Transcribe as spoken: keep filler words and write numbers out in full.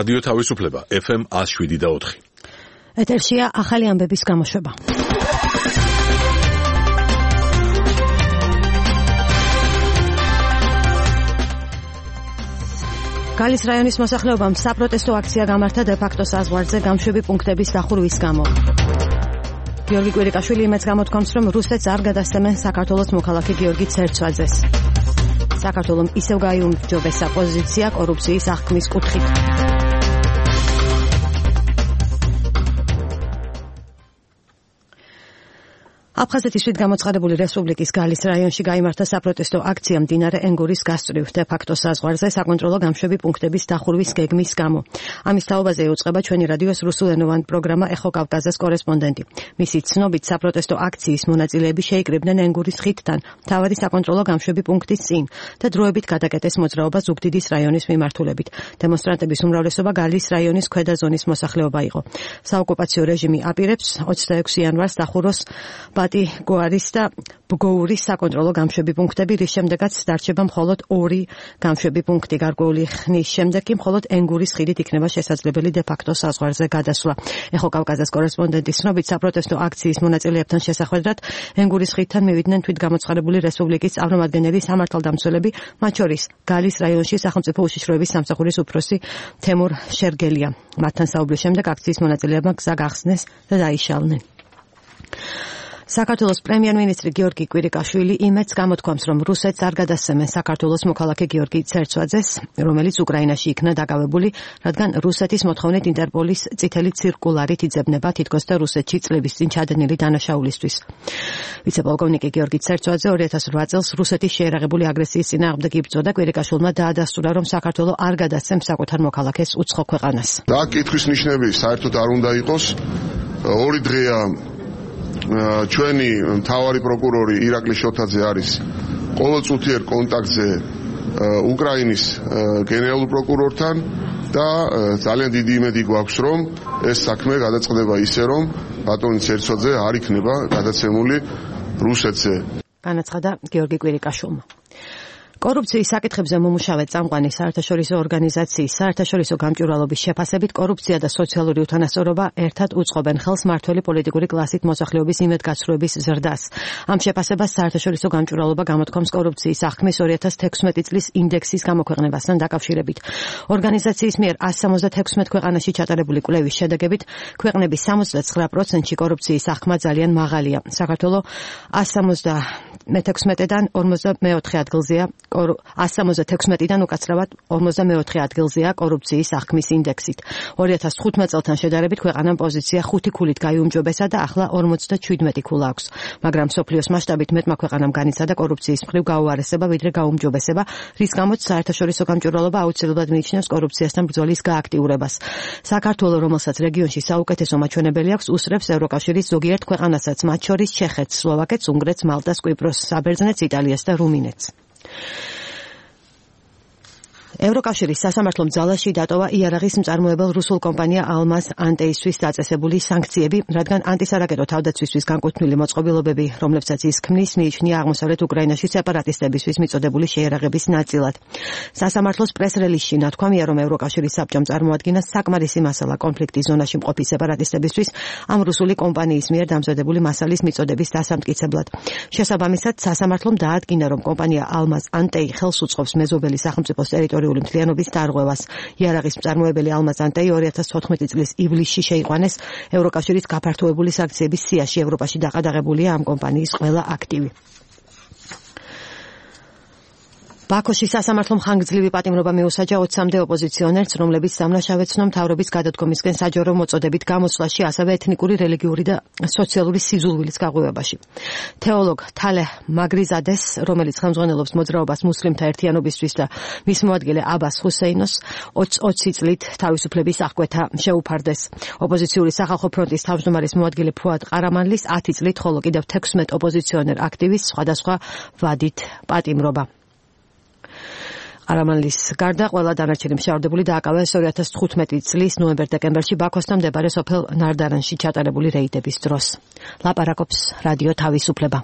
რადიო თავისუფლება ეფ ემ one oh seven და four. ეთერშია ახალი ამბების გამოშვება. გალის რაიონის მოსახლეობამ საპროტესტო აქცია გამართა დე-ფაქტო საზღვარზე გამშვები პუნქტების დახურვის გამო. გიორგი კვირიკაშვილი იმედს გამოთქვამს, რომ რუსეთს არ გადასცემენ საქართველოს მოქალაქე გიორგი ცერცვაძეს. საქართველომ ისევ გაიუმჯობესა პოზიცია კორუფციის აღქმის კუთხით. აფხაზეთის შვიდგამოცხადებული რესპუბლიკის გალის რაიონში გაიმართა საპროტესტო აქცია მდინარე ენგურის გასწვრივ დე-ფაქტო საზღვარზე საკონტროლო გამშვები პუნქტების დახურვის გეგმის გამო. ამის თაობაზე ეუწყება ჩვენი რადიოს რუსულენოვანი პროგრამა ეხო კავკასიის კორესპონდენტი. მისი ცნობით საპროტესტო აქციის მონაწილეები შეიკრიბნენ ენგურის ხიდთან თავადი საკონტროლო გამშვები პუნქტის წინ და დროებით გადაკეტეს მოძრაობა ზუგდიდის რაიონის მიმართულებით. დემონსტრანტების უმრავლესობა გალის რაიონის ქვედა ზონის მოსახლეობა იყო. საოკუპაციო რეჟიმი აპირებს ოცდაექვსი იანვარს დახუროს ბატი გოარის და ბგოურის საკონტროლო გამშვები პუნქტები, რის შემდეგაც დარჩება მხოლოდ ორი გამშვები პუნქტი. გარკვეული ხნის შემდეგ კი მხოლოდ ენგურის ხიდით იქნება შესაძლებელი დე-ფაქტო საზღვარზე გადასვლა. ეხო კავკასიის კორესპონდენტის ცნობით საპროტესტო აქციის მონაწილეებთან შესახვედრად ენგურის ხიდთან მივიდნენ თვითგამოცხადებული რესპუბლიკის წარმომადგენელი, სამართალდამცველები, მათ შორის გალის რაიონში სახელმწიფო უშიშროების სამსახურის უფროსი თემურ შერგელია. მათთან საუბრის შემდეგ აქციის მონაწილეებმა გზა გახსნეს და დაიშალნენ. საქართველოს პრემიერ-მინისტრი გიორგი კვირიკაშვილი იმედს გამოთქვამს, რომ რუსეთს არ გადასცემენ საქართველოს მოქალაქე გიორგი ცერცვაძეს, რომელიც უკრაინაში იქნა დაკავებული, რადგან რუსეთის მოთხოვნით ინტერპოლის წითელი ცირკულარით იძებნება თითქოს და რუსეთში წლების წინ ჩადენილი დანაშაულისთვის. ვიცე-პოლკოვნიკი გიორგი ცერცვაძე ორი ათას რვა წელს რუსეთის შეერაღებული აგრესიის წინააღმდეგ იბრძოდა. კვირიკაშვილმა დაადასტურა, რომ საქართველო არ გადასცემს საკუთარ მოქალაქეს უცხო ქვეყანას. და კითხვის ნიშნები საერთოდ არ უნდა იყოს. ორი დღეა ჩვენი მთავარი პროკურორი ირაკლი შოთაძე არის ყოველწუთიერ კონტაქტზე უკრაინის გენერალურ პროკურორთან და ძალიან დიდი იმედი გვაქვს, რომ ეს საქმე გადაწყდება ისე, რომ ბატონი ცერცვაძე არ იქნება გადაცემული რუსეთზე. განაცხადა გიორგი კვირიკაშვილმა. კორუფციის საკითხებზე მომუშავე წამყვანი საერთაშორისო ორგანიზაციის საერთაშორისო გამჭვირვალობის შეფასებით კორუფცია და სოციალური უთანასწორობა ერთად უწყობენ ხელს მმართველი პოლიტიკური კლასით მოსახლეობის იმედგაცრუების ზრდას. ამ შეფასებას საერთაშორისო გამჭვირვალობა გამოთქვამს კორუფციის აღქმის ორი ათას თექვსმეტი წლის ინდექსის გამოქვეყნებასთან დაკავშირებით. ორგანიზაციის მიერ one seventy-six ქვეყანაში ჩატარებული კვლევის შედეგებით ქვეყნების ოცდათხმეტ პროცენტში კორუფციის აღქმა ძალიან მაღალია. საქართველო one seventy-six-დან ორმოცდამეოთხე ადგილზეა. one seventy-six-დან უკაცრავად ორმოცდამეოთხე ადგილზეა კორუფციის აღქმის ინდექსით. ორი ათას თხუთმეტ წელთან შედარებით ქვეყანამ პოზიცია ხუთი ქულით გაიუმჯობესა და ახლა ორმოცდაშვიდი ქულა აქვს. მაგრამ მსოფლიოს მასშტაბით მეტმა ქვეყანამ განიცადა კორუფციის მხრივ გაუარესება ვიდრე გაუმჯობესება, რის გამოც საერთაშორისო გამჭვირვალობა აუცილებლად მიიჩნევს კორუფციასთან ბრძოლის გააქტიურებას. საქართველო, რომელსაც რეგიონში საუკეთესო მაჩვენებელი აქვს, უსწრებს ევროკავშირის ზოგიერთ ქვეყანასაც, მათ შორის ჩეხეთს, სლოვაკეთს, უნგრეთს, მალტას, კვიპროსს, საბერძნეთს, იტალიას და რუმინეთს. ევროკავშირის სასამართლომ ძალაში დატოვა იარაღის მწარმოებელ რუსულ კომპანია ალმაზ ანტეისთვის დაწესებული სანქციები, რადგან ანტისარაკეტო თავდაცვისთვის განკუთვნილი მოწყობილობები, რომლებსაც ის ქმნის, მიიჩნია აღმოსავლეთ უკრაინაში სეპარატისტებისთვის მიწოდებული შეიარაღების ნაწილად. სასამართლოს პრეს-რელიზში ნათქვამია, რომ ევროკავშირის საბჭომ წარმოადგინა საკმარისი მასალა კონფლიქტის ზონაში მყოფი სეპარატისტებისთვის ამ რუსული კომპანიის მიერ დამზადებული მასალის მიწოდების დასამტკიცებლად. შესაბამისად, სასამართლომ დაადგინა, რომ კომპანია ალმაზ ანტეი ხელს უწყობს მეზობელი სახელმწიფოს ტერიტორიულ მთლიანობის დარღვევას. იარაღის მწარმოებელი ალმაზ ანტეი ორი ათას თოთხმეტი წლის ივლისში შეიყვანეს ევროკავშირის გაფართოებული სანქციების სიაში. ევროპაში დაყადაღებულია ამ კომპანიის ყველა აქტივი. ბაქოში სასამართლომ ხანგრძლივი პატიმრობა მიუსაჯა ოცამდე ოპოზიციონერს, რომლებიც დამნაშავე ცნო მთავრობის გადადგომისკენ საჯარო მოწოდებით გამოსვლაში, ასევე ეთნიკური, რელიგიური და სოციალური სიზულვილის გაღვივებაში. თეოლოგ თალე მაგრიზადეს, რომელიც ხელმძღვანელობს მოძრაობას მუსლიმთა ერთიანობისთვის და მის მოადგილე აბას ჰუსეინოს ოცი წლით თავისუფლების აღკვეთა შეუფარდეს. ოპოზიციური სახალხო ფრონტის თავმჯდომარის მოადგილე ფუად ყარამანლის ათი წლით, ხოლო კიდევ თექვსმეტ ოპოზიციონერ აქტივისტს სხვადასხვა ვადით პატიმრობა. არამანლის გარდა ყველა დანარჩენი მშავდებული დააკავეს ორი ათას თხუთმეტი წლის ნოემბერ-დეკემბერში ბაქოსთან მდებარე სოფელ ნარდარანში ჩატარებული რეიდების დროს. ლაპარაკობს რადიო თავისუფლება.